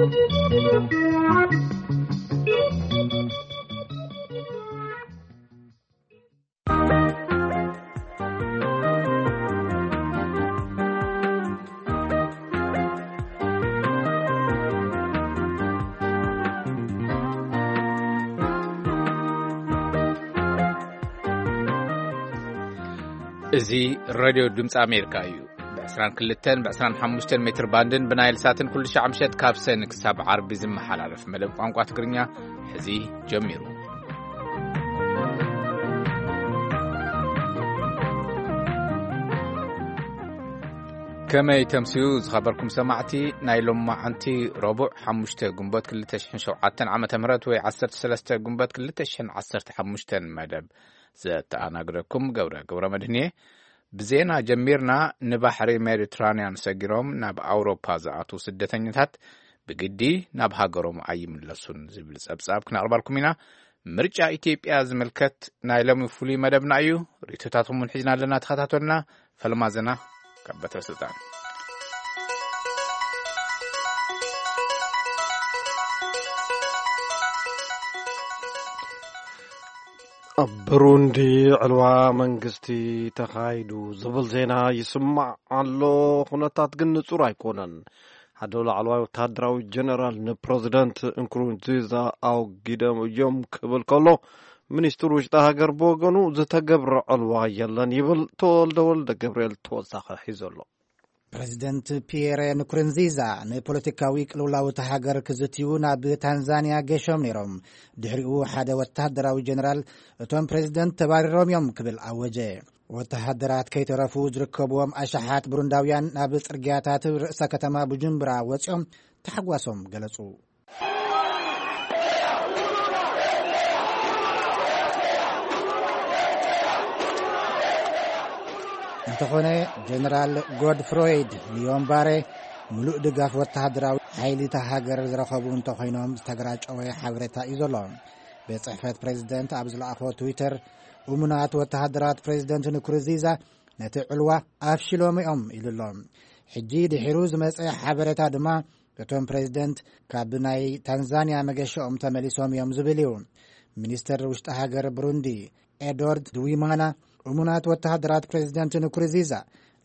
እዚ ሬድዮ ድምፂ ኣሜሪካ እዩ። ብ22ን ብ25 ሜትር ባንድን ብናይል ሳትን ኩሉ ሻዕ ምሸት ካብ ሰኒ ክሳብ ዓርቢ ዝመሓላለፍ መደብ ቋንቋ ትግርኛ ሕዚ ጀሚሩ። ከመይ ተምስዩ ዝኸበርኩም ሰማዕቲ፣ ናይ ሎማዓንቲ ረቡዕ ሓሙሽተ ግንቦት ክልተ ሽሕን ሸውዓተን ዓመተ ምህረት ወይ ዓሰርተ ሰለስተ ግንቦት ክልተ ሽሕን ዓሰርተ ሓሙሽተን መደብ ዘተኣናግደኩም ገብረ ገብረ መድህን እየ። ብዜና ጀሚርና። ንባሕሪ ሜዲትራንያን ሰጊሮም ናብ ኣውሮፓ ዝኣትዉ ስደተኛታት ብግዲ ናብ ሃገሮም ኣይምለሱን ዝብል ጸብጻብ ክነቕርባልኩም ኢና። ምርጫ ኢትዮጵያ ዝምልከት ናይ ሎሚ ፍሉይ መደብና እዩ። ርእይቶታትኩም እውን ሒዝና ኣለና። ተኸታተሉና። ፈለማ ዜና ካብ በትረ ስልጣን። ኣብ ብሩንዲ ዕልዋ መንግስቲ ተኻይዱ ዝብል ዜና ይስማዕ ኣሎ። ኩነታት ግን ንጹር ኣይኮነን። ሓደ ላዕለዋይ ወተሃደራዊ ጀነራል ንፕረዚደንት እንኩሩንዚዛ ኣውጊዶም እዮም ክብል ከሎ፣ ሚኒስትር ውሽጢ ሃገር ብወገኑ ዝተገብረ ዕልዋ የለን ይብል። ተወልደ ወልደ ገብርኤል ተወሳኺ ሒዙ ኣሎ። ፕረዚደንት ፒየረ ንኩሩንዚዛ ንፖለቲካዊ ቅልውላው እታ ሃገር ክዝትዩ ናብ ታንዛንያ ገሾም ነይሮም። ድሕሪኡ ሓደ ወተሃደራዊ ጀነራል፣ "እቶም ፕረዚደንት ተባሪሮም እዮም" ክብል ኣወጀ። ወተሃደራት ከይተረፉ ዝርከብዎም ኣሽሓት ብሩንዳውያን ናብ ጽርግያታት ርእሰ ከተማ ቡጁምቡራ ወጺኦም ታሕጓሶም ገለጹ። እንተኾነ፣ ጀነራል ጎድፍሮይድ ንዮምባሬ ምሉእ ድጋፍ ወተሃደራዊ ሓይሊ እታ ሃገር ዝረኸቡ እንተኾይኖም፣ ዝተግራጨወ ሓበሬታ እዩ ዘሎ። ቤት ጽሕፈት ፕሬዚደንት ኣብ ዝለኣኾ ትዊተር፣ እሙናት ወተሃደራት ፕሬዚደንት ንኩሩንዚዛ ነቲ ዕልዋ ኣፍሽሎም እዮም ኢሉ ኣሎ። ሕጂ ድሒሩ ዝመጸ ሓበሬታ ድማ፣ እቶም ፕሬዚደንት ካብ ናይ ታንዛንያ መገሻኦም ተመሊሶም እዮም ዝብል እዩ። ሚኒስተር ውሽጢ ሃገር ብሩንዲ ኤድዋርድ ድዊማና፣ እሙናት ወተሃደራት ፕሬዚደንት ንኩሩንዚዛ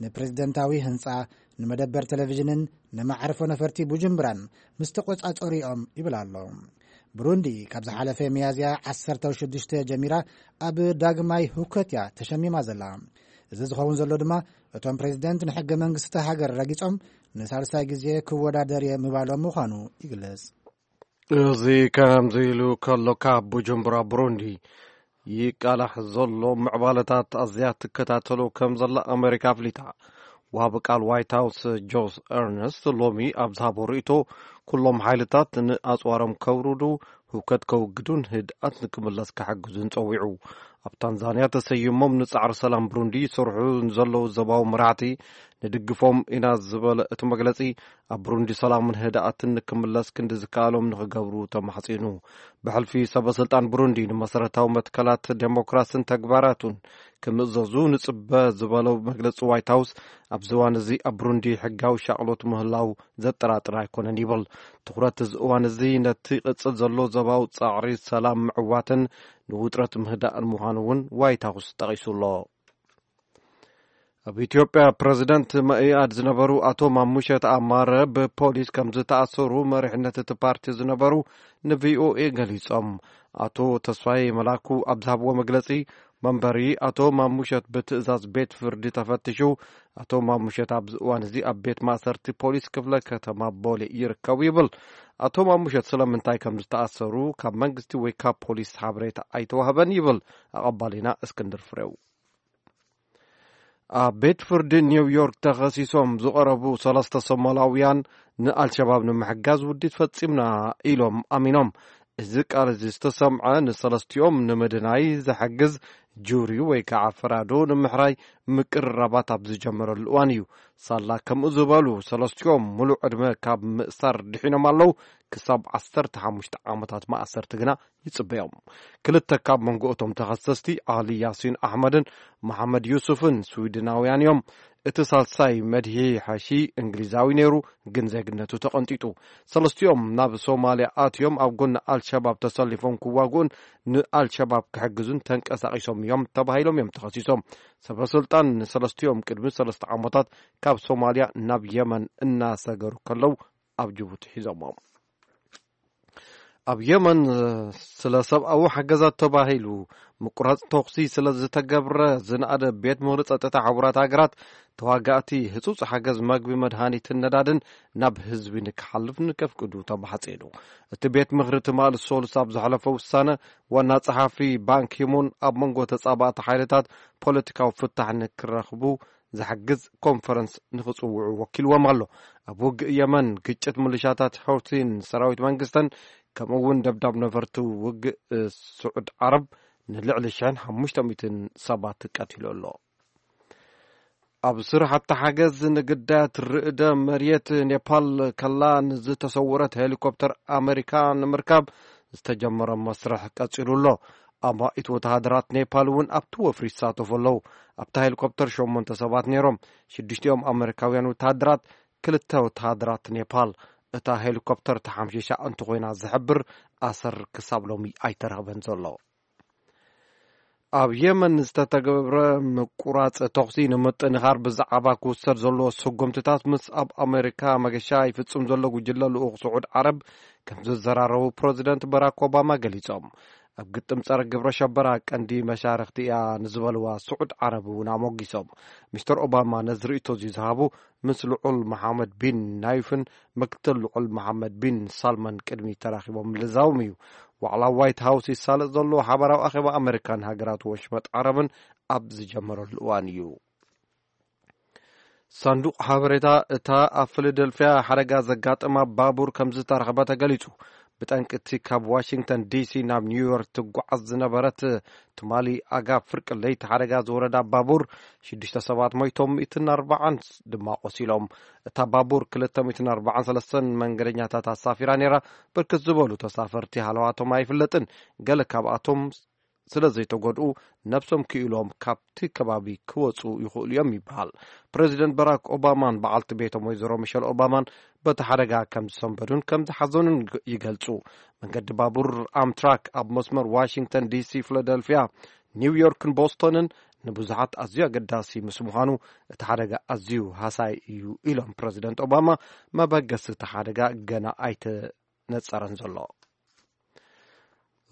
ንፕሬዚደንታዊ ህንጻ፣ ንመደበር ቴሌቪዥንን ንመዓርፎ ነፈርቲ ቡጁምብራን ምስ ተቖጻጸሩ እዮም ይብል ኣሎ። ብሩንዲ ካብ ዝሓለፈ ሚያዝያ ዓሰርተ ሽዱሽተ ጀሚራ ኣብ ዳግማይ ህውከት እያ ተሸሚማ ዘላ። እዚ ዝኸውን ዘሎ ድማ፣ እቶም ፕሬዚደንት ንሕገ መንግስቲ እታ ሃገር ረጊጾም ንሳልሳይ ግዜ ክወዳደር እየ ምባሎም ምዃኑ ይግለጽ። እዚ ከምዚ ኢሉ ከሎ፣ ካብ ቡጁምቡራ ብሩንዲ ይቃላሕ ዘሎ ምዕባለታት ኣዝያ ትከታተሎ ከም ዘላ ኣመሪካ ኣፍሊጣ። ወሃቢ ቃል ዋይት ሃውስ ጆሽ ኤርነስት ሎሚ ኣብ ዝሃቦ ርእይቶ፣ ኩሎም ሓይልታት ንኣጽዋሮም ከውርዱ፣ ህውከት ከውግዱን ህድኣት ንክምለስ ክሕግዙን ጸዊዑ። ኣብ ታንዛንያ ተሰይሞም ንጻዕሪ ሰላም ብሩንዲ ይሰርሑ ንዘለዉ ዞባዊ መራሕቲ ንድግፎም ኢና ዝበለ እቲ መግለጺ፣ ኣብ ብሩንዲ ሰላምን ህድኣትን ንክምለስ ክንዲ ዝከኣሎም ንክገብሩ ተማሕጺኑ። ብሕልፊ ሰበ ስልጣን ብሩንዲ ንመሰረታዊ መትከላት ዴሞክራስን ተግባራቱን ክምእዘዙ ንጽበ ዝበለው መግለጺ ዋይት ሃውስ፣ ኣብዚ እዋን እዚ ኣብ ብሩንዲ ሕጋዊ ሻቕሎት ምህላው ዘጠራጥር ኣይኮነን ይብል። ትኹረት እዚ እዋን እዚ ነቲ ቅጽል ዘሎ ዞባዊ ጻዕሪ ሰላም ምዕዋትን ንውጥረት ምህዳእን ምዃኑ እውን ዋይት ሃውስ ጠቒሱ ኣሎ። ኣብ ኢትዮጵያ፣ ፕረዚደንት መኢኣድ ዝነበሩ ኣቶ ማሙሸት ኣማረ ብፖሊስ ከም ዝተኣሰሩ መሪሕነት እቲ ፓርቲ ዝነበሩ ንቪኦኤ ገሊጾም። ኣቶ ተስፋዬ መላኩ ኣብ ዝሃብዎ መግለጺ፣ መንበሪ ኣቶ ማሙሸት ብትእዛዝ ቤት ፍርዲ ተፈቲሹ፣ ኣቶ ማሙሸት ኣብዚ እዋን እዚ ኣብ ቤት ማእሰርቲ ፖሊስ ክፍለ ከተማ ቦሌ ይርከቡ ይብል። ኣቶ ማሙሸት ስለምንታይ ከም ዝተኣሰሩ ካብ መንግስቲ ወይ ካብ ፖሊስ ሓበሬታ ኣይተዋህበን ይብል ኣቐባሊና እስክንድር ፍሬው። ኣብ ቤት ፍርዲ ኒውዮርክ ተኸሲሶም ዝቐረቡ ሰለስተ ሶማላውያን፣ ንኣልሸባብ ንምሕጋዝ ውዲት ፈጺምና ኢሎም ኣሚኖም። እዚ ቃል እዚ ዝተሰምዐ፣ ንሰለስቲኦም ንምድናይ ዝሕግዝ ጁሪ ወይ ከዓ ፈራዶ ንምሕራይ ምቅርራባት ኣብ ዝጀመረሉ እዋን እዩ። ሳላ ከምኡ ዝበሉ ሰለስቲኦም ሙሉእ ዕድመ ካብ ምእሳር ድሒኖም ኣለዉ። ክሳብ ዓሰርተ ሓሙሽተ ዓመታት ማእሰርቲ ግና ይጽበዮም። ክልተ ካብ መንጎ እቶም ተኸሰስቲ፣ ኣሊ ያሲን ኣሕመድን መሓመድ ዩሱፍን፣ ስዊድናውያን እዮም። እቲ ሳልሳይ መድሂ ሓሺ እንግሊዛዊ ነይሩ፣ ግን ዜግነቱ ተቐንጢጡ። ሰለስቲኦም ናብ ሶማልያ ኣትዮም ኣብ ጎኒ ኣልሸባብ ተሰሊፎም ክዋግኡን ንኣልሸባብ ክሕግዙን ተንቀሳቒሶም እዮም ተባሂሎም እዮም ተኸሲሶም። ሰበ ስልጣን ንሰለስቲኦም ቅድሚ ሰለስተ ዓመታት ካብ ሶማልያ ናብ የመን እናሰገሩ ከለዉ ኣብ ጅቡቲ ሒዞሞም። ኣብ የመን ስለ ሰብኣዊ ሓገዛት ተባሂሉ ምቁራጽ ተኹሲ ስለ ዝተገብረ ዝነኣደ ቤት ምኽሪ ጸጥታ ሕቡራት ሃገራት፣ ተዋጋእቲ ህጹጽ ሓገዝ መግቢ፣ መድሃኒትን ነዳድን ናብ ህዝቢ ንክሓልፍ ንከፍቅዱ ተማሕጺኑ። እቲ ቤት ምኽሪ ትማሊ ሰሉስ ኣብ ዘሕለፈ ውሳነ፣ ዋና ጸሓፊ ባንኪሙን ኣብ መንጎ ተጻባእቲ ሓይልታት ፖለቲካዊ ፍታሕ ንክረኽቡ ዝሕግዝ ኮንፈረንስ ንኽጽውዑ ወኪልዎም ኣሎ። ኣብ ውግእ የመን፣ ግጭት ምልሻታት ሑቲን ሰራዊት መንግስተን፣ ከምኡ እውን ደብዳብ ነበርቲ ውግእ ስዑድ ዓረብ ንልዕሊ ሽሕን ሓሙሽተ ሚእትን ሰባት ቀቲሉ ኣሎ። ኣብ ስራሕቲ ሓገዝ ንግዳያት ርእደ መሬት፣ ኔፓል ከላ ንዝተሰወረት ሄሊኮፕተር ኣሜሪካ ንምርካብ ዝተጀመረ መስርሕ ቀጺሉ ኣሎ። ኣማኢት ወተሃደራት ኔፓል እውን ኣብቲ ወፍሪ ይሳተፉ ኣለዉ። ኣብታ ሄሊኮፕተር ሸሞንተ ሰባት ነይሮም፣ ሽዱሽቲኦም ኣሜሪካውያን ወተሃደራት፣ ክልተ ወተሃደራት ኔፓል። እታ ሄሊኮፕተር ተሓምሺሻ እንተኾይና ዝሕብር ኣሰር ክሳብ ሎሚ ኣይተረኽበን ዘሎ። ኣብ የመን ዝተተገብረ ምቁራጽ ተኹሲ ንምጥንኻር ብዛዕባ ክውሰድ ዘለዎ ስጉምትታት ምስ ኣብ ኣሜሪካ መገሻ ይፍጽም ዘሎ ጉጅለ ልኡኽ ስዑድ ዓረብ ከም ዝዘራረቡ ፕረዚደንት በራክ ኦባማ ገሊጾም። ኣብ ግጥም ጸረ ግብረ ሸበራ ቀንዲ መሻርኽቲ እያ ንዝበልዋ ስዑድ ዓረብ እውን ኣሞጊሶም። ሚስተር ኦባማ ነዚ ርእይቶ እዚ ዝሃቡ ምስ ልዑል መሓመድ ቢን ናይፍን ምክትል ልዑል መሓመድ ቢን ሳልማን ቅድሚ ተራኺቦም ምልዛዎም እዩ። ዋዕላ ዋይት ሃውስ ይሳለጥ ዘሎ ሓባራዊ ኣኼባ ኣሜሪካን ሃገራት ወሽመጥ ዓረብን ኣብ ዝጀመረሉ እዋን እዩ። ሳንዱቕ ሓበሬታ እታ ኣብ ፊላደልፊያ ሓደጋ ዘጋጠማ ባቡር ከም ዝተረኽበ ተገሊጹ። ብጠንቂ እቲ ካብ ዋሽንግተን ዲሲ ናብ ኒውዮርክ ትጓዓዝ ዝነበረት ትማሊ ኣጋ ፍርቂ ለይቲ ሓደጋ ዝወረዳ ባቡር፣ ሽዱሽተ ሰባት ሞይቶም፣ ሚእትን ኣርባዓን ድማ ቆሲሎም። እታ ባቡር ክልተ ሚእትን ኣርባዓን ሰለስተን መንገደኛታት ኣሳፊራ ነይራ። ብርክት ዝበሉ ተሳፈርቲ ሃለዋቶም ኣይፍለጥን። ገለ ካብኣቶም ስለ ዘይተጎድኡ፣ ነብሶም ክኢሎም ካብቲ ከባቢ ክወጹ ይኽእሉ እዮም ይበሃል። ፕረዚደንት ባራክ ኦባማን በዓልቲ ቤቶም ወይዘሮ ሚሸል ኦባማን በቲ ሓደጋ ከም ዝሰንበዱን ከም ዝሓዘኑን ይግ-፣ ይገልጹ። መንገዲ ባቡር ኣምትራክ ኣብ መስመር ዋሽንግተን ዲሲ፣ ፊላደልፊያ፣ ኒውዮርክን ቦስቶንን ንብዙሓት ኣዝዩ ኣገዳሲ ምስ ምዃኑ፣ እቲ ሓደጋ ኣዝዩ ሃሳይ እዩ ኢሎም ፕረዚደንት ኦባማ። መበገሲ እቲ ሓደጋ ገና ኣይተነጸረን ዘሎ።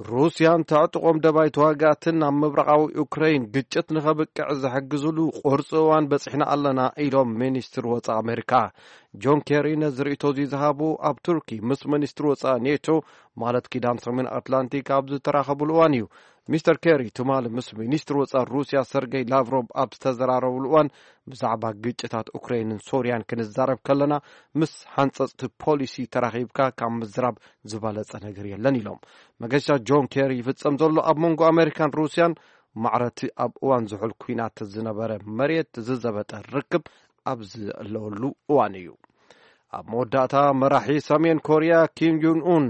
ሩስያን ተዕጥቖም ደባይ ተዋጋእትን ኣብ ምብራቓዊ ዩክረይን ግጭት ንኸብቅዕ ዝሕግዝሉ ቁርፂ እዋን በፂሕና ኣለና ኢሎም ሚኒስትር ወፃኢ ኣሜሪካ። ጆን ኬሪ ነዚ ርእይቶ እዚ ዝሃቡ ኣብ ቱርኪ ምስ ሚኒስትር ወፃኢ ኔቶ፣ ማለት ኪዳን ሰሜን ኣትላንቲክ፣ ኣብ ዝተራኸቡሉ እዋን እዩ። ሚስተር ኬሪ ትማሊ ምስ ሚኒስትር ወፃኢ ሩስያ ሰርገይ ላቭሮቭ ኣብ ዝተዘራረቡሉ እዋን፣ ብዛዕባ ግጭታት ኡክረይንን ሶርያን ክንዛረብ ከለና ምስ ሓንፀፅቲ ፖሊሲ ተራኺብካ ካብ ምዝራብ ዝበለጸ ነገር የለን ኢሎም። መገሻ ጆን ኬሪ ይፍጸም ዘሎ ኣብ መንጎ ኣሜሪካን ሩስያን ማዕረቲ ኣብ እዋን ዝሑል ኲናት ዝነበረ መሬት ዝዘበጠ ርክብ ኣብ ዘለወሉ እዋን እዩ። ኣብ መወዳእታ መራሒ ሰሜን ኮርያ ኪም ዩን ኡን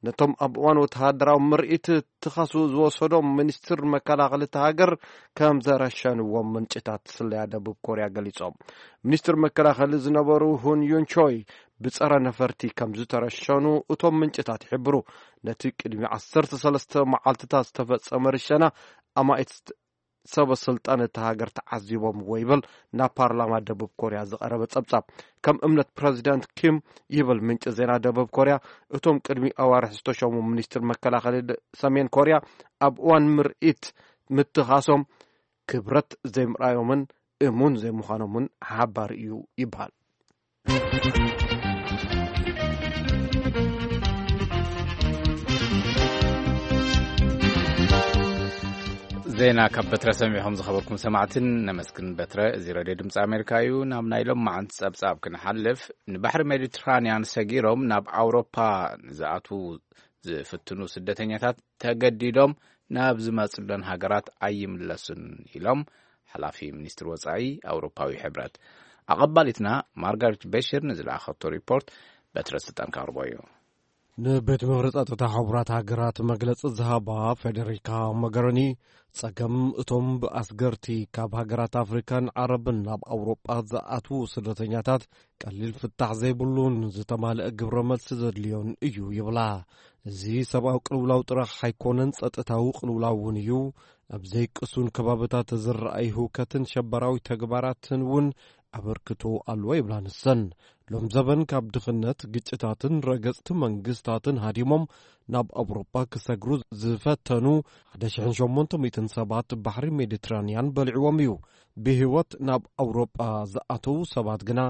ነቶም ኣብ እዋን ወተሃደራዊ ምርኢት ትኻሱ ዝወሰዶም ሚኒስትር መከላኸሊ እታ ሃገር ከም ዘረሸንዎም ምንጭታት ስለያ ደቡብ ኮርያ ገሊጾም። ሚኒስትር መከላኸሊ ዝነበሩ ሁን ዩን ቾይ ብጸረ ነፈርቲ ከም ዝተረሸኑ እቶም ምንጭታት ይሕብሩ። ነቲ ቅድሚ ዓሰርተ ሰለስተ መዓልትታት ዝተፈጸመ ርሸና ኣማኢት ሰበ ስልጣን እታ ሃገር ተዓዚቦምዎ ይብል ናብ ፓርላማ ደቡብ ኮርያ ዝቐረበ ጸብጻብ። ከም እምነት ፕረዚደንት ኪም ይብል ምንጪ ዜና ደቡብ ኮርያ፣ እቶም ቅድሚ ኣዋርሕ ዝተሸሙ ሚኒስትር መከላኸሊ ደ-፣ ሰሜን ኮርያ ኣብ እዋን ምርኢት ምትኻሶም ክብረት ዘይምርኣዮምን እሙን ዘይምዃኖምን ሓባሪ እዩ ይበሃል። ዜና ካብ በትረ ሰሚዕኹም ዝኸበርኩም ሰማዕትን ነመስግን። በትረ፣ እዚ ሬድዮ ድምፂ ኣሜሪካ እዩ። ናብ ናይ ሎማዓንቲ ጸብጻብ ክንሓልፍ፣ ንባሕሪ ሜዲትራንያን ሰጊሮም ናብ ኣውሮፓ ንዝኣትዉ ዝፍትኑ ስደተኛታት ተገዲዶም ናብ ዝመጽለን ሃገራት ኣይምለሱን ኢሎም ሓላፊ ሚኒስትሪ ወጻኢ ኣውሮፓዊ ሕብረት። ኣቐባሊትና ማርጋሬት ቤሽር ንዝለኣኸቶ ሪፖርት በትረ ስልጣን ካቕርቦ እዩ። ንቤት ምኽሪ ጸጥታ ሕቡራት ሃገራት መግለጺ ዝሃባ ፌደሪካ ሞገሪኒ፣ ጸገም እቶም ብኣስገርቲ ካብ ሃገራት ኣፍሪካን ዓረብን ናብ ኣውሮጳ ዝኣትዉ ስደተኛታት ቀሊል ፍታሕ ዘይብሉን ዝተማልአ ግብረ መልሲ ዘድልዮን እዩ ይብላ። እዚ ሰብኣዊ ቅልውላው ጥራሕ ኣይኮነን፣ ጸጥታዊ ቅልውላው እውን እዩ። ኣብ ዘይቅሱን ከባብታት ዝረኣይ ህውከትን ሸበራዊ ተግባራትን እውን ኣበርክቶ ኣለዎ ይብላ ንሰን። ሎም ዘበን ካብ ድኽነት፣ ግጭታትን ረገጽቲ መንግስታትን ሃዲሞም ናብ ኣውሮጳ ክሰግሩ ዝፈተኑ ሓደ ሽሕን ሸሞንተ ሚእትን ሰባት ባሕሪ ሜዲትራንያን በሊዕዎም እዩ። ብህይወት ናብ ኣውሮጳ ዝኣተዉ ሰባት ግና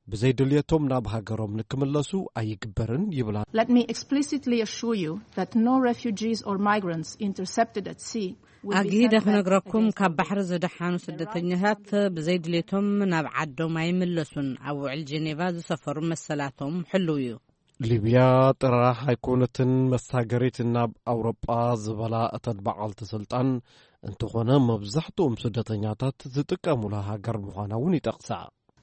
ብዘይ ድልየቶም ናብ ሃገሮም ንክምለሱ ኣይግበርን ይብላ። Let me explicitly assure you that no refugees or migrants intercepted at sea will be sent back against their will. ኣግሂደ ክነግረኩም፣ ካብ ባሕሪ ዝደሓኑ ስደተኛታት ብዘይ ድልየቶም ናብ ዓዶም ኣይምለሱን። ኣብ ውዕል ጀኔቫ ዝሰፈሩ መሰላቶም ሕሉው እዩ። ሊብያ ጥራሕ ኣይኮነትን መሳገሪት ናብ ኣውሮጳ ዝበላ እተን በዓልቲ ስልጣን፣ እንተኾነ መብዛሕትኦም ስደተኛታት ዝጥቀሙላ ሃገር ምዃና እውን ይጠቕሳ።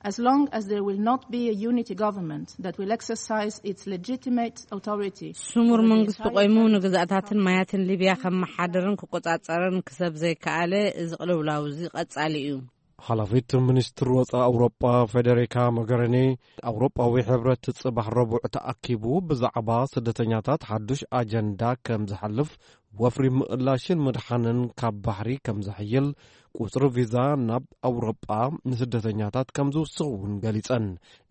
As long as there will not be a unity government that will exercise its legitimate authority ስሙር over the መንግስቲ entire ቆይሙ territory ንግዛእታትን ማያትን ሊብያ ከመሓድርን ክቆጻጸርን ክሰብ ዘይከኣለ፣ እዚ ቅልውላው እዚ ቀጻሊ እዩ። ሓላፊት ሚኒስትሪ ወጻኢ ኣውሮጳ ፌደሪካ ሞገሪኒ፣ ኣውሮጳዊ ሕብረት ጽባሕ ረቡዕ ተኣኪቡ ብዛዕባ ስደተኛታት ሓዱሽ ኣጀንዳ ከም ዝሓልፍ፣ ወፍሪ ምእላሽን ምድሓንን ካብ ባሕሪ ከም ዘሕይል፣ ቁጽሪ ቪዛ ናብ ኣውሮጳ ንስደተኛታት ከም ዝውስኽ እውን ገሊጸን።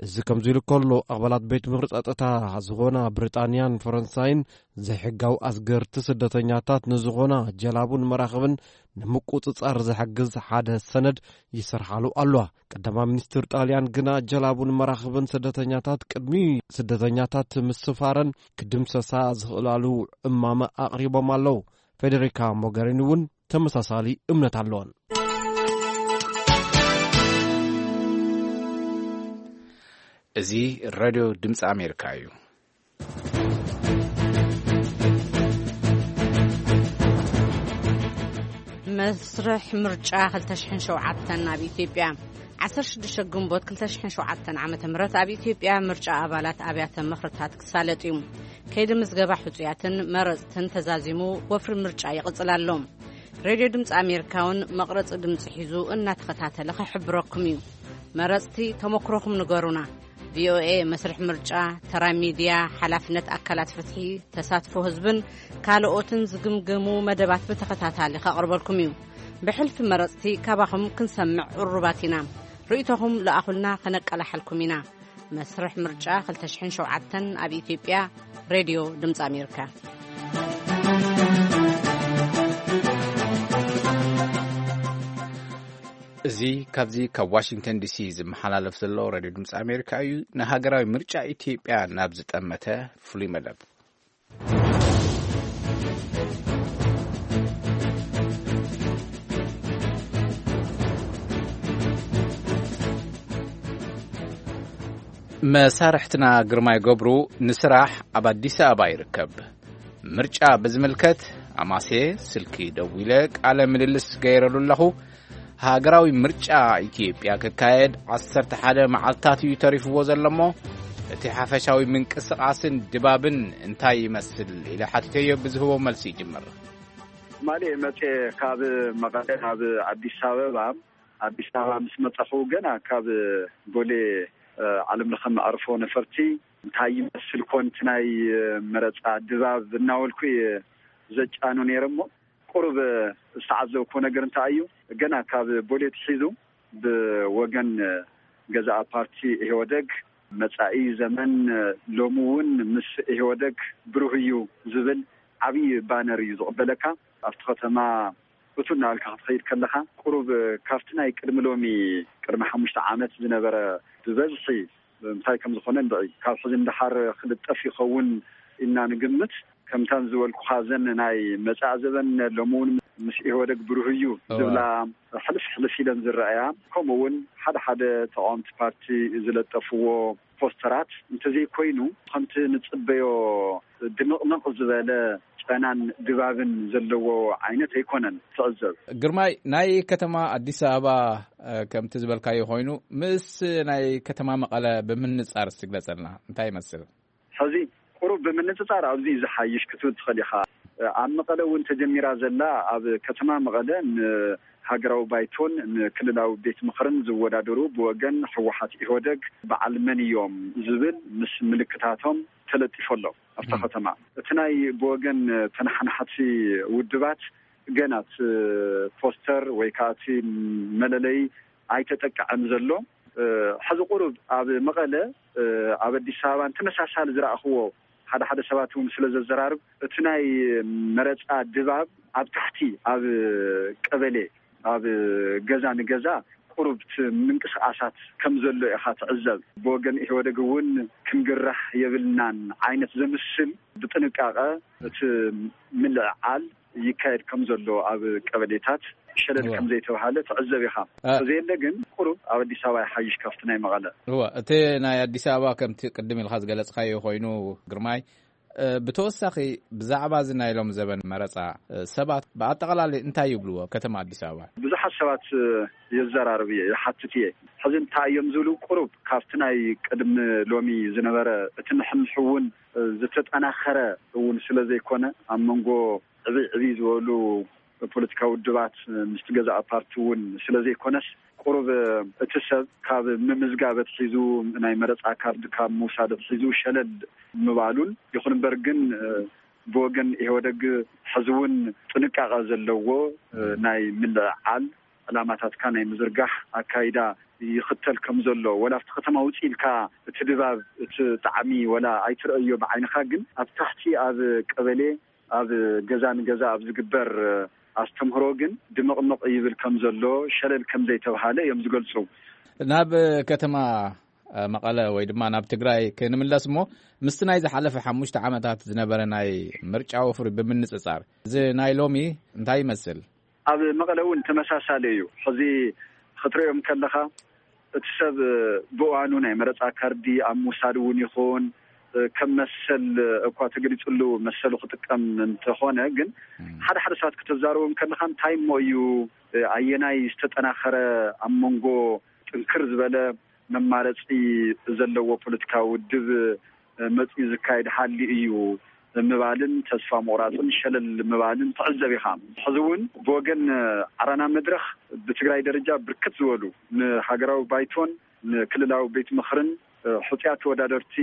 እዚ ከምዚ ኢሉ ከሎ፣ ኣባላት ቤት ምኽሪ ጸጥታ ዝኾና ብሪጣንያን ፈረንሳይን ዘይሕጋዊ ኣስገርቲ ስደተኛታት ንዝኾና ጀላቡን መራኽብን ንምቁጽጻር ዝሕግዝ ሓደ ሰነድ ይሰርሓሉ ኣሎ። ቀዳማይ ሚኒስትር ጣልያን ግና ጀላቡን መራኽብን ስደተኛታት ቅድሚ ስደተኛታት ምስፋረን ክድምሰሳ ዝኽእላሉ እማመ ኣቕሪቦም ኣለዉ። ፌዴሪካ ሞገሪኒ እውን ተመሳሳሊ እምነት ኣለወን። እዚ ሬድዮ ድምፂ ኣሜሪካ እዩ። መስርሕ ምርጫ ክልተ ሽሕን ሸውዓተን ኣብ ኢትዮጵያ። ዓሰርተ ሽዱሽተ ግንቦት ክልተ ሽሕን ሸውዓተን ዓመተ ምህረት ኣብ ኢትዮጵያ ምርጫ ኣባላት ኣብያተ ምኽርታት ክሳለጥ እዩ። ከይዲ ምዝገባ ሕጹያትን መረጽትን ተዛዚሙ ወፍሪ ምርጫ ይቕጽል ኣሎ። ሬድዮ ድምፂ ኣሜሪካ እውን መቕረፂ ድምፂ ሒዙ እናተኸታተለ ክሕብረኩም እዩ። መረፅቲ ተመክሮኹም ንገሩና። ቪኦኤ መስርሕ ምርጫ፣ ተራ ሚድያ፣ ሓላፍነት ኣካላት ፍትሒ፣ ተሳትፎ ህዝብን ካልኦትን ዝግምግሙ መደባት ብተኸታታሊ ከቕርበልኩም እዩ። ብሕልፊ መረፅቲ ካባኹም ክንሰምዕ ቅሩባት ኢና። ርእይቶኹም ለኣኹልና፣ ከነቀላሓልኩም ኢና። መስርሕ ምርጫ ክልተ ሽሕን ሸውዓተን ኣብ ኢትዮጵያ። ሬድዮ ድምፂ ኣሜሪካ። እዚ ካብዚ ካብ ዋሽንግተን ዲሲ ዝመሓላለፍ ዘሎ ሬድዮ ድምፂ ኣሜሪካ እዩ። ንሃገራዊ ምርጫ ኢትዮጵያ ናብ ዝጠመተ ፍሉይ መደብ። መሳርሕትና ግርማይ ገብሩ ንስራሕ ኣብ ኣዲስ ኣበባ ይርከብ። ምርጫ ብዝምልከት ኣማስየ ስልኪ ደዊለ ቃለ ምልልስ ገይረሉ ኣለኹ። ሃገራዊ ምርጫ ኢትዮጵያ ክካየድ ዓሰርተ ሓደ መዓልታት እዩ ተሪፍዎ ዘሎ እሞ፣ እቲ ሓፈሻዊ ምንቅስቓስን ድባብን እንታይ ይመስል ኢለ ሓቲተዮ፣ ብዝህቦ መልሲ ይጅምር። ትማሊ መጼ ካብ መቐለ ናብ ኣዲስ ኣበባ፣ ኣዲስ ኣበባ ምስ መጻኹ ገና ካብ ቦሌ፣ እ፣ ዓለም ለኸ መዕርፎ ነፈርቲ እንታይ ይመስል ኮን እቲ ናይ፣ እ፣ መረጻ ድባብ እናበልኩ እየ ዘጫኑ ነይረ እሞ፣ ቁሩብ ዝተዓዘብኩዎ ነገር እንታይ እዩ፣ ገና ካብ ቦሌ ትሒዙ ብወገን ገዛኢ ፓርቲ ኢህወደግ መጻኢ ዘመን ሎሚ እውን ምስ ኢህወደግ ብሩህ እዩ ዝብል ዓብዪ ባነር እዩ ዝቕበለካ። ኣብቲ ከተማ እቱ እናበልካ ክትኸይድ ከለኻ፣ ቁሩብ ካብቲ ናይ ቅድሚ ሎሚ፣ ቅድሚ ሓሙሽተ ዓመት ዝነበረ ብበዝሒ እንታይ ከም ዝኾነ ንርኢ። ካብ ሕዚ ንደሓር ክልጠፍ ይኸውን ኢልና ንግምት። ከምታ ዝበልኩኻ፣ እዘን ናይ መጻኢ ዘበን ሎሚ እውን ምስ ኢህወደግ ብሩህ እዩ ዝብላ ሕልፍ ሕልፍ ኢለን ዝረኣያ፣ ከምኡ እውን ሓደ ሓደ ተቃወምቲ ፓርቲ ዝለጠፍዎ ፖስተራት እንተዘይኮይኑ፣ ከምቲ ንጽበዮ ድምቕምቕ ዝበለ ጨናን ድባብን ዘለዎ ዓይነት ኣይኮነን ትዕዘብ። ግርማይ፣ ናይ ከተማ ኣዲስ ኣበባ ከምቲ ዝበልካዮ ኮይኑ፣ ምስ ናይ ከተማ መቐለ ብምንጻር እስቲ ግለጸልና፣ እንታይ ይመስል? ሕዚ ቁሩብ ብምንጽጻር ኣብዚ ዝሓይሽ ክትብል ትኽእል ኢኻ። ኣብ መቐለ እውን ተጀሚራ ዘላ፣ ኣብ ከተማ መቐለ ንሃገራዊ ባይቶን ንክልላዊ ቤት ምኽርን ዝወዳደሩ ብወገን ህወሓት ኢህወደግ በዓል መን እዮም ዝብል ምስ ምልክታቶም ተለጢፎ ኣሎ ኣብታ ከተማ። እቲ ናይ ብወገን ተነሓናሕቲ ውድባት ገና እቲ ፖስተር ወይ ከዓ እቲ መለለይ ኣይተጠቅዐን ዘሎ። ሕዚ ቁሩብ ኣብ መቐለ፣ ኣብ ኣዲስ ኣበባን ተመሳሳሊ ዝረኣኽዎ ሓደ ሓደ ሰባት እውን ስለ ዘዘራርብ፣ እቲ ናይ መረፃ ድባብ ኣብ ታሕቲ፣ ኣብ ቀበሌ፣ ኣብ ገዛ ንገዛ ቁሩብ እቲ ምንቅስቃሳት ከም ዘሎ ኢኻ ትዕዘብ። ብወገን ኢህወደግ እውን ክንግራሕ የብልናን ዓይነት ዘምስል ብጥንቃቐ እቲ ምልዕዓል ይካየድ ከም ዘሎ ኣብ ቀበሌታት ሸለል ከም ዘይተባሃለ ትዕዘብ ኢኻ። ተዘየለ ግን ቁሩብ ኣብ ኣዲስ ኣበባ ይሓይሽ ካብቲ ናይ መቐለ። እወ፣ እቲ ናይ ኣዲስ ኣበባ ከምቲ ቅድም ኢልካ ዝገለጽካዮ ኮይኑ፣ ግርማይ፣ ብተወሳኺ ብዛዕባ እዚ ናይ ሎም ዘበን መረጻ ሰባት ብኣጠቓላሊ እንታይ ይብልዎ? ከተማ ኣዲስ ኣበባ ብዙሓት ሰባት የዘራርብ እየ፣ ይሓትት እየ። ሕዚ እንታይ እዮም ዝብሉ? ቁሩብ ካብቲ ናይ ቅድሚ ሎሚ ዝነበረ እቲ ንሕንሕ እውን ዝተጠናኸረ እውን ስለ ዘይኮነ፣ ኣብ መንጎ ዕብይ ዕብይ ዝበሉ ፖለቲካዊ ውድባት ምስቲ ገዛእ ፓርቲ እውን ስለ ዘይኮነስ፣ ቁሩብ እቲ ሰብ ካብ ምምዝጋብ ኣትሒዙ፣ ናይ መረፃ ካርድ ካብ ምውሳድ ኣትሒዙ ሸለል ምባሉን፣ ይኹን እምበር ግን ብወገን ኢህወደግ ሕዚ እውን ጥንቃቐ ዘለዎ ናይ ምልዕዓል ዕላማታትካ ናይ ምዝርጋሕ ኣካይዳ ይኽተል ከም ዘሎ፣ ወላ ኣብቲ ከተማ ውፅእ ኢልካ እቲ ድባብ፣ እቲ ጣዕሚ ወላ ኣይትረእዮ ብዓይንኻ፣ ግን ኣብ ታሕቲ ኣብ ቀበሌ፣ ኣብ ገዛ ንገዛ ኣብ ዝግበር ኣስተምህሮ ግን ድምቕምቕ ይብል ከም ዘሎ፣ ሸለል ከም ዘይተብሃለ እዮም ዝገልጹ። ናብ ከተማ መቐለ ወይ ድማ ናብ ትግራይ ክንምለስ እሞ፣ ምስቲ ናይ ዝሓለፈ ሓሙሽተ ዓመታት ዝነበረ ናይ ምርጫ ወፍሪ ብምንጽጻር፣ እዚ ናይ ሎሚ እንታይ ይመስል? ኣብ መቐለ እውን ተመሳሳሊ እዩ። ሕዚ ክትሪኦም ከለኻ፣ እቲ ሰብ ብእዋኑ ናይ መረፃ ካርዲ ኣብ ምውሳድ እውን ይኹን፣ ከም መሰል እኳ ተገሊፅሉ መሰሉ ክጥቀም እንተኾነ፣ ግን ሓደ ሓደ ሰባት ክተዛረቦም ከለኻ፣ እንታይ እሞ እዩ፣ ኣየናይ ዝተጠናኸረ፣ ኣብ መንጎ ጥንክር ዝበለ መማረፂ ዘለዎ ፖለቲካዊ ውድብ መፂኡ ዝካየድ ሃሊ እዩ ምባልን ተስፋ ምቑራፅን ሸለል ምባልን ትዕዘብ ኢኻ። ሕዚ እውን ብወገን ዓረና መድረኽ ብትግራይ ደረጃ ብርክት ዝበሉ ንሃገራዊ ባይቶን ንክልላዊ ቤት ምኽርን ሕፁያት ተወዳደርቲ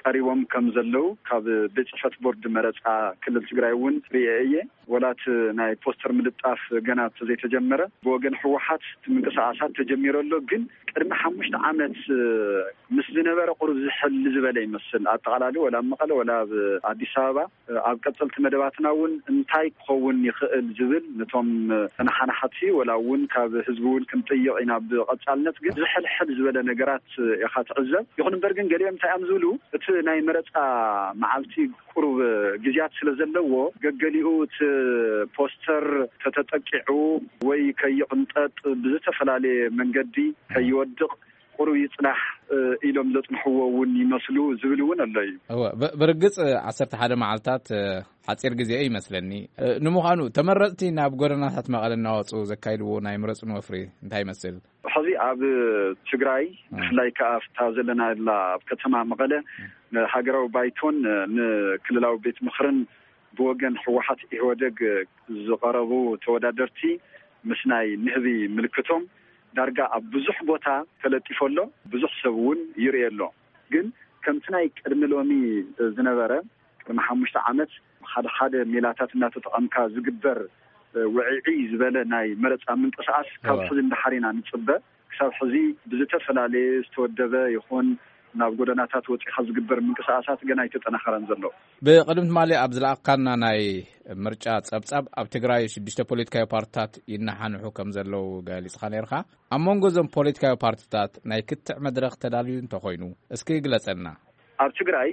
ቀሪቦም ከም ዘለዉ ካብ ቤት ጽሕፈት ቦርድ መረጻ ክልል ትግራይ እውን ርእየ እየ። ወላ እቲ ናይ ፖስተር ምልጣፍ ገና እንተዘይተጀመረ፣ ብወገን ህወሓት እቲ ምንቅስቃሳት ተጀሚሩ ኣሎ። ግን ቅድሚ ሓሙሽተ ዓመት ምስ ዝነበረ ቁሩብ ዝሕል ዝበለ ይመስል። ኣጠቓላሊ ወላ ኣብ መቐለ ወላ ኣብ ኣዲስ ኣበባ ኣብ ቀጸልቲ መደባትና እውን እንታይ ክኸውን ይኽእል ዝብል ነቶም ተነሓናሕቲ ወላ እውን ካብ ህዝቢ እውን ክንጥይቕ ኢና። ብቐጻልነት ግን ዝሕልሕል ዝበለ ነገራት ኢኻ ትዕዘብ። ይኹን እምበር ግን ገሊኦም እንታይ እዮም ዝብሉ፣ እቲ ናይ መረጻ መዓልቲ ቁሩብ ግዜያት ስለ ዘለዎ፣ ገገሊኡ እቲ ፖስተር ተተጠቂዑ ወይ ከይቕንጠጥ ብዝተፈላለየ መንገዲ ከይወድቕ ቁሩብ ይጽናሕ ኢሎም ዘጽንሕዎ እውን ይመስሉ ዝብል እውን ኣሎ እዩ። እወ፣ ብ-፣ ብርግጽ ዓሰርተ ሓደ መዓልታት ሓጺር ግዜ እዩ ይመስለኒ። ንምዃኑ ተመረጽቲ ናብ ጎደናታት መቐለ እናወጹ ዘካይድዎ ናይ ምረጹን ወፍሪ እንታይ ይመስል? ሕዚ ኣብ ትግራይ፣ ብፍላይ ከኣ ኣብታ ዘለናላ ኣብ ከተማ መቐለ፣ ንሃገራዊ ባይቶን ንክልላዊ ቤት ምኽርን ብወገን ህወሓት ኢህወደግ ዝቐረቡ ተወዳደርቲ ምስ ናይ ንህቢ ምልክቶም ዳርጋ ኣብ ብዙሕ ቦታ ተለጢፉ ኣሎ። ብዙሕ ሰብ እውን ይርእዮ ኣሎ። ግን ከምቲ ናይ ቅድሚ ሎሚ ዝነበረ፣ ቅድሚ ሓሙሽተ ዓመት ሓደ ሓደ ሜላታት እናተጠቐምካ ዝግበር ውዕዒ ዝበለ ናይ መረጻ ምንቅስቃስ ካብ ሕዚ ንደሓር ኢና ንጽበ። ክሳብ ሕዚ ብዝተፈላለየ ዝተወደበ ይኹን ናብ ጎደናታት ወጺኻ ዝግበር ምንቅስቃሳት ገና ኣይተጠናኸረን ዘሎ። ብቕድሚ ትማሊ ኣብ ዝለኣኽካና ናይ ምርጫ ጸብጻብ፣ ኣብ ትግራይ ሽዱሽተ ፖለቲካዊ ፓርትታት ይነሓንሑ ከም ዘለዉ ገሊጽኻ ነይርካ። ኣብ መንጎ እዞም ፖለቲካዊ ፓርትታት ናይ ክትዕ መድረኽ ተዳልዩ እንተኾይኑ፣ እስኪ ግለጸልና። ኣብ ትግራይ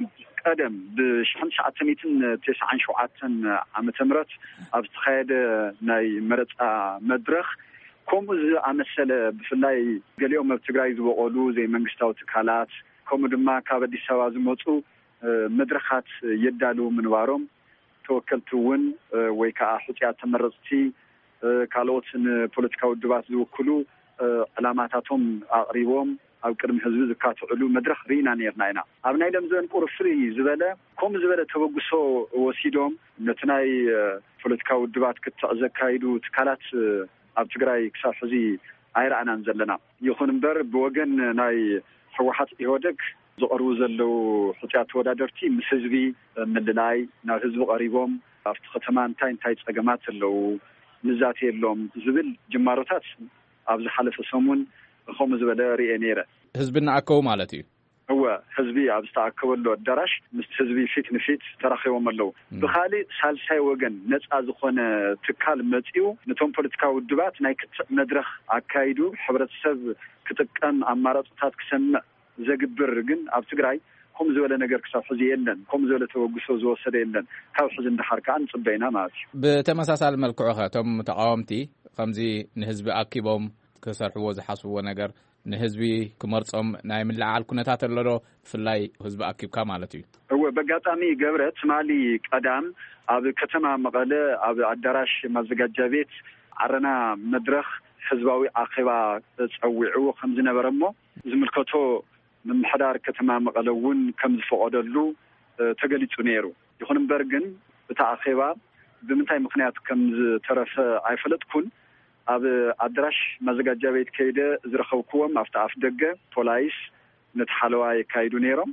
ቀደም ብሽሕን ትሽዓተ ሚእትን ተስዓን ሸውዓተን ዓመተ ምህረት ኣብ ዝተኻየደ ናይ መረፃ መድረኽ ከምኡ ዝኣመሰለ፣ ብፍላይ ገሊኦም ኣብ ትግራይ ዝበቐሉ ዘይመንግስታዊ ትካላት፣ ከምኡ ድማ ካብ ኣዲስ ኣበባ ዝመፁ መድረኻት የዳልዉ ምንባሮም፣ ተወከልቲ እውን ወይ ከዓ ሕፁያት ተመረፅቲ፣ ካልኦት ንፖለቲካዊ ውድባት ዝውክሉ ዕላማታቶም ኣቕሪቦም ኣብ ቅድሚ ህዝቢ ዝካትዕሉ መድረኽ ርኢና ነርና ኢና። ኣብ ናይ ደምዘን ቁርፍሪ ዝበለ ከምኡ ዝበለ ተበግሶ ወሲዶም ነቲ ናይ ፖለቲካዊ ውድባት ክትዕ ዘካይዱ ትካላት ኣብ ትግራይ ክሳብ ሕዚ ኣይረኣናን ዘለና። ይኹን እምበር ብወገን ናይ ህወሓት ኢህወደግ ዝቐርቡ ዘለዉ ሕፁያት ተወዳደርቲ ምስ ህዝቢ ምልላይ፣ ናብ ህዝቢ ቀሪቦም ኣብቲ ከተማ እንታይ እንታይ ፀገማት ኣለዉ ንዛተየሎም ዝብል ጅማሮታት ኣብ ዝሓለፈ ሰሙን ከምኡ ዝበለ ርኤ ነይረ። ህዝቢ እናኣከቡ ማለት እዩ። እወ፣ ህዝቢ ኣብ ዝተኣከበሉ ኣዳራሽ ምስ ህዝቢ ፊት ንፊት ተራኺቦም ኣለዉ። ብኻሊእ ሳልሳይ ወገን ነፃ ዝኾነ ትካል መፂኡ ነቶም ፖለቲካዊ ውድባት ናይ ክትዕ መድረኽ ኣካይዱ ሕብረተሰብ ክጥቀም ኣማራፅታት ክሰምዕ ዘግብር ግን ኣብ ትግራይ ከምኡ ዝበለ ነገር ክሳብ ሕዚ የለን። ከምኡ ዝበለ ተበግሶ ዝወሰደ የለን። ካብ ሕዚ እንዳሓር ከዓ ንፅበ ኢና ማለት እዩ። ብተመሳሳሊ መልክዑ ኸ እቶም ተቃወምቲ ከምዚ ንህዝቢ ኣኪቦም ክሰርሕዎ ዝሓስብዎ ነገር ንህዝቢ ክመርጾም ናይ ምልዓል ኩነታት ኣሎ ዶ? ብፍላይ ህዝቢ ኣኪብካ ማለት እዩ። እወ፣ በጋጣሚ ገብረ፣ ትማሊ ቀዳም ኣብ ከተማ መቐለ ኣብ ኣዳራሽ ማዘጋጃ ቤት ዓረና መድረኽ ህዝባዊ ኣኼባ ጸዊዕዎ ከም ዝነበረ እሞ ዝምልከቶ ምምሕዳር ከተማ መቐለ እውን ከም ዝፈቐደሉ ተገሊጹ ነይሩ። ይኹን እምበር ግን እቲ ኣኼባ ብምንታይ ምኽንያት ከም ዝተረፈ ኣይፈለጥኩን። ኣብ ኣዳራሽ ማዘጋጃ ቤት ከይደ ዝረኸብክዎም ኣብቲ ኣፍ ደገ ፖላይስ ነቲ ሓለዋ የካይዱ ነይሮም።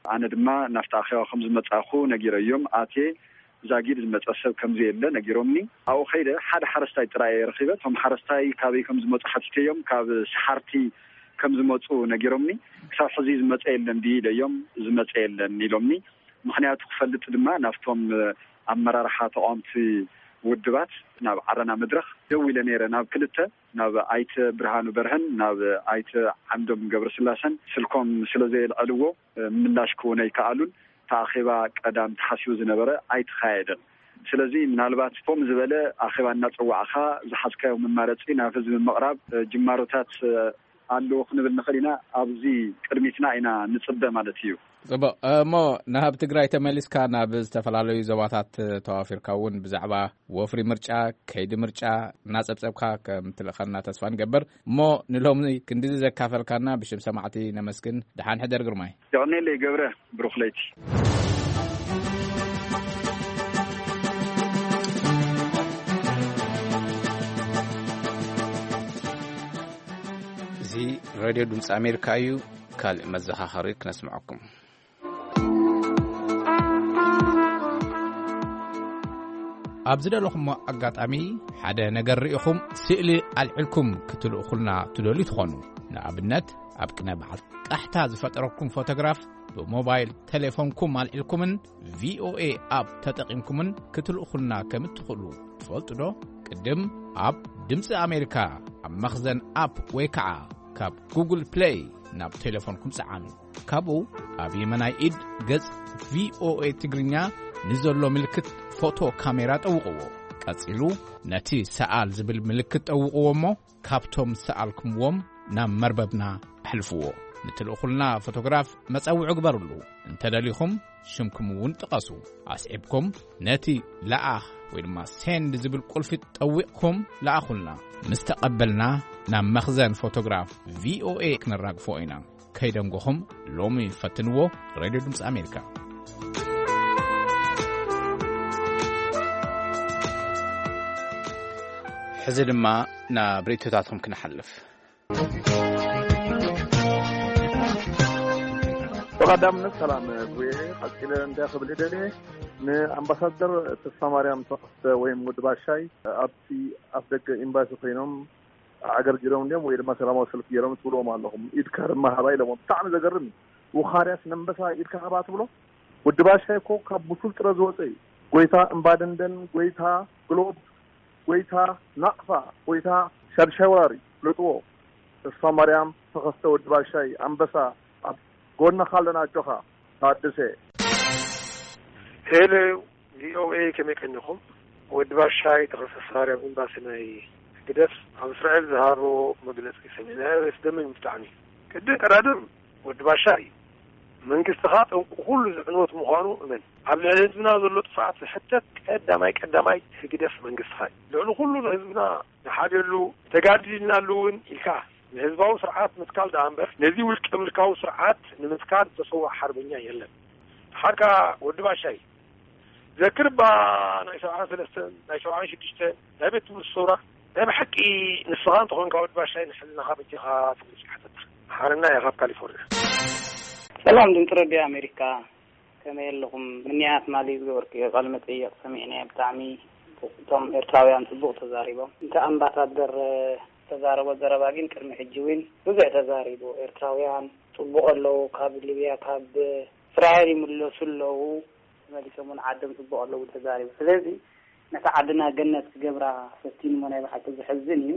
ኣነ ድማ ናብቲ ኣኼባ ከም ዝመጻኹ ነጊረዮም ኣትየ። ዛጊድ ዝመጸ ሰብ ከም ዘየለ ነጊሮምኒ። ኣብኡ ከይደ ሓደ ሓረስታይ ጥራይ እየ ረኺበ። እቶም ሓረስታይ ካበይ ከም ዝመጹ ሓቲተዮም፣ ካብ ሰሓርቲ ከም ዝመጹ ነጊሮምኒ። ክሳብ ሕዚ ዝመጸ የለን ድዩ ኢለዮም፣ ዝመጸ የለን ኢሎምኒ። ምኽንያቱ ክፈልጥ ድማ ናብቶም ኣመራርሓ ተቃወምቲ ውድባት ናብ ዓረና መድረኽ ደዊለ ነይረ። ናብ ክልተ፣ ናብ ኣይተ ብርሃኑ በርሀን ናብ ኣይተ ዓምዶም ገብረስላሰን ስልኮም ስለ ዘየልዐልዎ ምላሽ ክህቡኒ ኣይከኣሉን። እቲ ኣኼባ ቀዳም ተሓሲቡ ዝነበረ ኣይተኻየደን። ስለዚ ምናልባት ከምኡ ዝበለ ኣኼባ እናጸዋዕኻ ዝሓዝካዮ መማረጺ ናብ ህዝቢ ምቕራብ ጅማሮታት ኣለዎ ክንብል ንኽእል ኢና። ኣብዚ ቅድሚትና ኢና ንጽበ ማለት እዩ። ጽቡቕ። እሞ ናብ ትግራይ ተመሊስካ ናብ ዝተፈላለዩ ዞባታት ተዋፊርካ እውን ብዛዕባ ወፍሪ ምርጫ፣ ከይዲ ምርጫ እናጸብጸብካ ከም ትልእኸልና ተስፋ ንገብር። እሞ ንሎሚ ክንድዚ ዘካፈልካና ብሽም ሰማዕቲ ነመስግን። ደሓን ሕደር ግርማይ። የቐኔለይ ገብረ፣ ብሩኽ ለይቲ። እዚ ሬድዮ ድምፂ ኣሜሪካ እዩ። ካልእ መዘኻኸሪ ክነስምዐኩም። ኣብ ዝደለኹሞ ኣጋጣሚ ሓደ ነገር ርኢኹም ስእሊ ኣልዒልኩም ክትልእኹልና ትደልዩ ትኾኑ። ንኣብነት፣ ኣብ ቅነ በዓል ቃሕታ ዝፈጠረኩም ፎቶግራፍ ብሞባይል ቴሌፎንኩም ኣልዒልኩምን ቪኦኤ ኣፕ ተጠቒምኩምን ክትልእኹልና ከም እትኽእሉ ትፈልጡ ዶ? ቅድም ኣብ ድምፂ ኣሜሪካ ኣብ መኽዘን ኣፕ ወይ ከዓ ካብ ጉግል ፕሌይ ናብ ቴሌፎንኩም ጸዓኑ። ካብኡ ኣብ የመናይ ኢድ ገጽ ቪኦኤ ትግርኛ ንዘሎ ምልክት ፎቶ ካሜራ ጠውቕዎ። ቀጺሉ ነቲ ሰኣል ዝብል ምልክት ጠውቕዎ እሞ ካብቶም ሰኣልኩምዎም ናብ መርበብና ኣሕልፍዎ። ንትልእኹልና ፎቶግራፍ መጸውዒ ግበሩሉ። እንተደሊኹም ሽምኩም እውን ጥቐሱ። ኣስዒብኩም ነቲ ለኣኽ ወይ ድማ ሴንድ ዝብል ቁልፊ ጠዊቕኩም ለኣኹልና። ምስ ተቐበልና ናብ መኽዘን ፎቶግራፍ ቪኦኤ ክነራግፎ ኢና። ከይደንጎኹም ሎሚ ፈትንዎ። ሬድዮ ድምፂ ኣሜሪካ። ሕዚ ድማ ናብ ርእይቶታትኩም ክንሓልፍ። ብቐዳምነት ሰላም ጉየ፣ ቀጺለ እንታይ ክብል ይደልየ፣ ንኣምባሳደር ተስፋ ማርያም ተኸስተ ወይም ወዲ ባሻይ ኣብቲ ኣፍ ደገ ኤምባሲ ኮይኖም ኣገርጊሮም እንዲዮም ወይ ድማ ሰላማዊ ሰልፊ ገይሮም ትብልዎም ኣለኹም። ኢድካ ድማ ሃባ ኢሎምዎም። ብጣዕሚ ዘገርም እዩ። ውኻርያስ ነንበሳ ኢድካ ሃባ ትብሎ? ወዲ ባሻይ እኮ ካብ ብሱል ጥረ ዝወፀ እዩ። ጎይታ እምባደንደን፣ ጎይታ ግሎብ፣ ጎይታ ናቕፋ፣ ጎይታ ሻድሻይ ወራሪ፣ ፍለጥዎ። ተስፋ ማርያም ተኸስተ ወዲ ባሻይ ኣንበሳ ኣብ ጎንኻ ኣለና፣ ኣጆኻ ታደሰ። ሄሎ፣ ቪኦኤ፣ ከመይ ቀኒኹም? ወዲ ባሻይ ተኸሰስ ሃርያ ኤምባሲ ናይ ህግደፍ ኣብ እስራኤል ዝሃቦ መግለጺ ሰሚዕናዮ፣ ዘስደምም ብጣዕሚ። ቅድም ቀዳድም ወዲ ባሻይ፣ መንግስትኻ ጠንቁ ኩሉ ዝዕንወት ምዃኑ እመን። ኣብ ልዕሊ ህዝብና ዘሎ ጥፍኣት ዝሕተት ቀዳማይ ቀዳማይ ህግደፍ መንግስትኻ እዩ። ልዕሊ ኩሉ ንህዝብና ንሓድየሉ፣ ተጋዲልናሉ እውን ኢልካ ንህዝባዊ ስርዓት ምትካል ደኣ እምበር፣ ነዚ ውልቀ ምልካዊ ስርዓት ንምትካል ዝተሰውኣ ሓርበኛ የለን። ሓርካ ወዲ ባሻይ፣ ዘክር እባ ናይ ሰብዓን ሰለስተን፣ ናይ ሰብዓን ሽዱሽተን፣ ናይ ቤት ትምህርቲ ሰውራ፣ ናይ ብሓቂ ንስኻ እንተኾንካ ወዲ ባሻይ ንሕልናኻ በጃኻ ትመልስ ሓተታ። ሓረና ኢኻ ካብ ካሊፎርኒያ። ሰላም ድምፂ ረድዮ ኣሜሪካ፣ ከመይ ኣለኹም? ምንያት ማሊ ዝገበርክዮ ቃለ መጠይቕ ሰሚዕናዮ፣ ብጣዕሚ እቶም ኤርትራውያን ጽቡቕ ተዛሪቦም። እንተ ኣምባሳደር ዝተዛረቦ ዘረባ ግን ቅድሚ ሕጂ እውን ብዙሕ ተዛሪቡ። ኤርትራውያን ጽቡቕ ኣለዉ፣ ካብ ሊብያ ካብ እስራኤል ይምለሱ ኣለዉ፣ ተመሊሶም እውን ዓዶም ጽቡቕ ኣለዉ ተዛሪቡ። ስለዚ ነታ ዓድና ገነት ክገብራ ፈቲኑ እሞ ናይ ብሓቂ ዘሕዝን እዩ።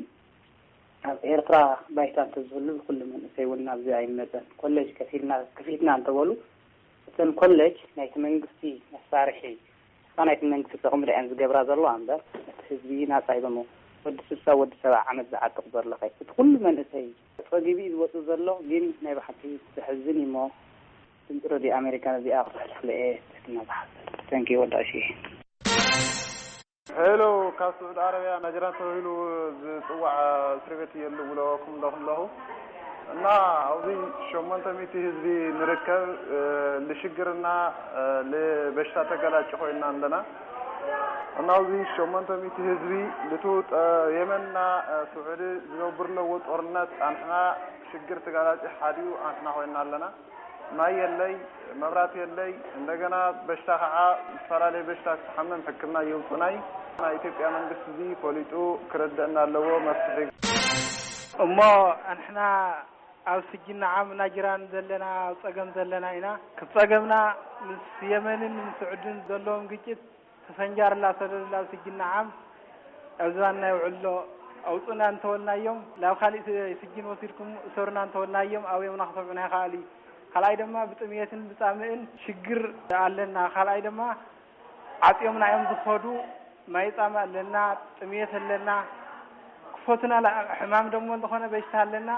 ኣብ ኤርትራ ባይታ እንተዝህሉ ኩሉ መንእሰይ እውን ናብዚ ኣይመጸን። ኮሌጅ ከፊልና ክፊትና እንተበሉ እተን ኮሌጅ ናይቲ መንግስቲ መሳርሒ፣ እታ ናይቲ መንግስቲ ጥቕሚ ደኣን ዝገብራ ዘለዋ እምበር እቲ ህዝቢ ናጻ ይበሞ። ወዲ ስሳ ወዲ ሰብዓ ዓመት ዝዓጥቕ ዘሎ ኸይ እቲ ኩሉ መንእሰይ ጸጊቡ እዩ ዝወጽእ ዘሎ። ግን ናይ ብሓቂ ዘሕዝን እዩ እሞ ድምፂ ረድዮ ኣሜሪካ ነዚኣ ክተሕልፍለ እየ ትሕትና ዝሓፍል። ተንኪ ወዳእሽ። ሄሎ፣ ካብ ስዑዲ ዓረብያ ናጅራን ተባሂሉ ዝጽዋዕ እስሪ ቤት እየ ልብለኩም ኣለኹ ኣለኹ። እና ኣብዚ ሸሞንተ ሚእቲ ህዝቢ ንርከብ፣ እ፣ ልሽግርና፣ እ፣ ልበሽታ ተገላጭ ኮይና ኣለና። እና ኣብዚ ሸሞንተ ሚእቲ ህዝቢ ልቱ ጠ-፣ የመንና፣ እ፣ ስዑዲ ዝነብር ኣለዎ ጦርነት ኣንሕና ሽግር ተጋላጭ ሓዲኡ ኣንሕና ኮይና ኣለና። ማይ የለይ፣ መብራት የለይ፣ እንደገና በሽታ ከዓ ዝተፈላለየ በሽታ ክትሓመም ሕክምና የውፅናይ። ናይ ኢትዮጵያ መንግስቲ እዚ ፈሊጡ ክረደእና ኣለዎ፣ መፍትሒ። እሞ ኣንሕና ኣብ ስጅን ዓም ናጅራን ዘለና፣ ኣብ ጸገም ዘለና ኢና። ክብ ጸገምና ምስ የመንን ምስ ስዑድን ዘለዎም ግጭት ተሰንጃር ላሰደድ ላብ ስጅን ዓም ኣብ ዝባንና ይውዕሎ። ኣውፁና እንተወልናዮም፣ ናብ ካሊእ ስ-፣ ስጅን ወሲድኩም እሰሩና እንተወልናዮም፣ ኣብዮምና ክሰምዑና ይኸኣሉ። ካልኣይ ድማ ብጥምየትን ብጻምእን ሽግር ኣለና። ካልኣይ ድማ ዓጽዮምና እዮም ዝኸዱ። ማይ ጻማ ኣለና፣ ጥምየት ኣለና። ክፈቱና ላ-፣ ሕማም ደሞ እንተኾነ በሽታ ኣለና።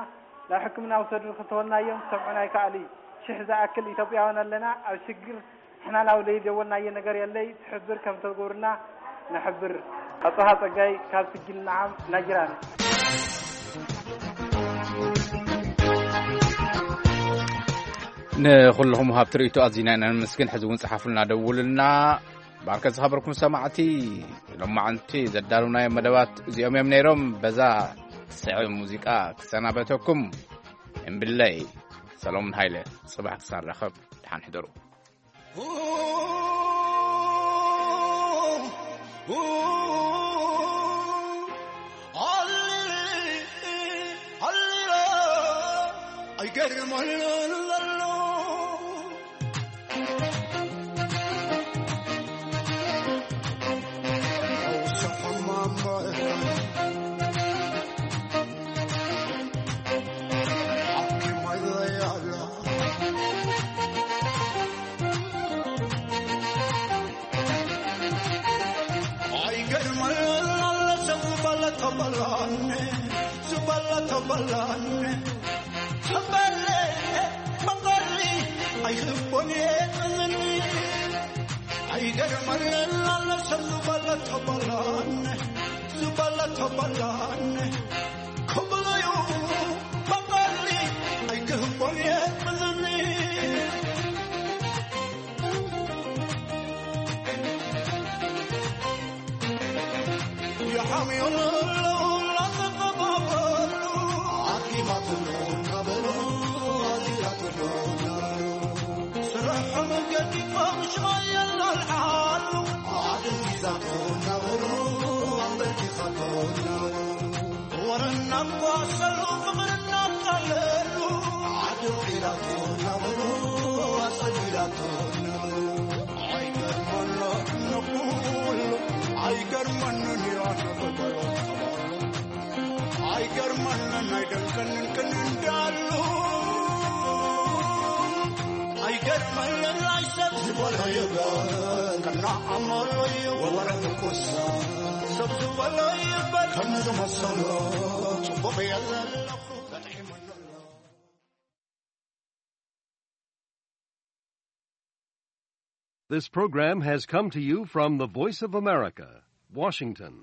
ናብ ሕክምና ውሰዱ እንተወልናዮም ክሰምዑና ይከኣሉ። ሽሕ ዝኣክል ኢትዮጵያውያን ኣለና ኣብ ሽግር። ንሕና ናብ ዘይደወልናዮ ነገር የለይ። ትሕብር ከም ተገብሩና ንሕብር። ኣጽብሃ ጸጋይ ካብ ስጅን ንዓም ናጅራን። ንኹልኹም ሃብቲ ርእይቶ ኣዚና ኢና ነመስግን። ሕዚ እውን ጸሓፉልና፣ ደውሉልና። ባርከ ዝኸበርኩም ሰማዕቲ፣ ሎማዓንቲ ዘዳለውናዮም መደባት እዚኦም እዮም ነይሮም። በዛ ስዕብ ሙዚቃ ክሰናበተኩም። እምብለይ ሰሎሞን ሃይለ፣ ጽባሕ ክሳብ ንራኸብ፣ ደሓን ሕደሩ። ኣይገርመልን ዘሎ ንዓመሎ እዩ ወረ ትኩሳ ሰብ ዝበሎ ይበል ከም ዝመሰሎ ጽቡቕ የለን። This program has come to you from the Voice of America, Washington.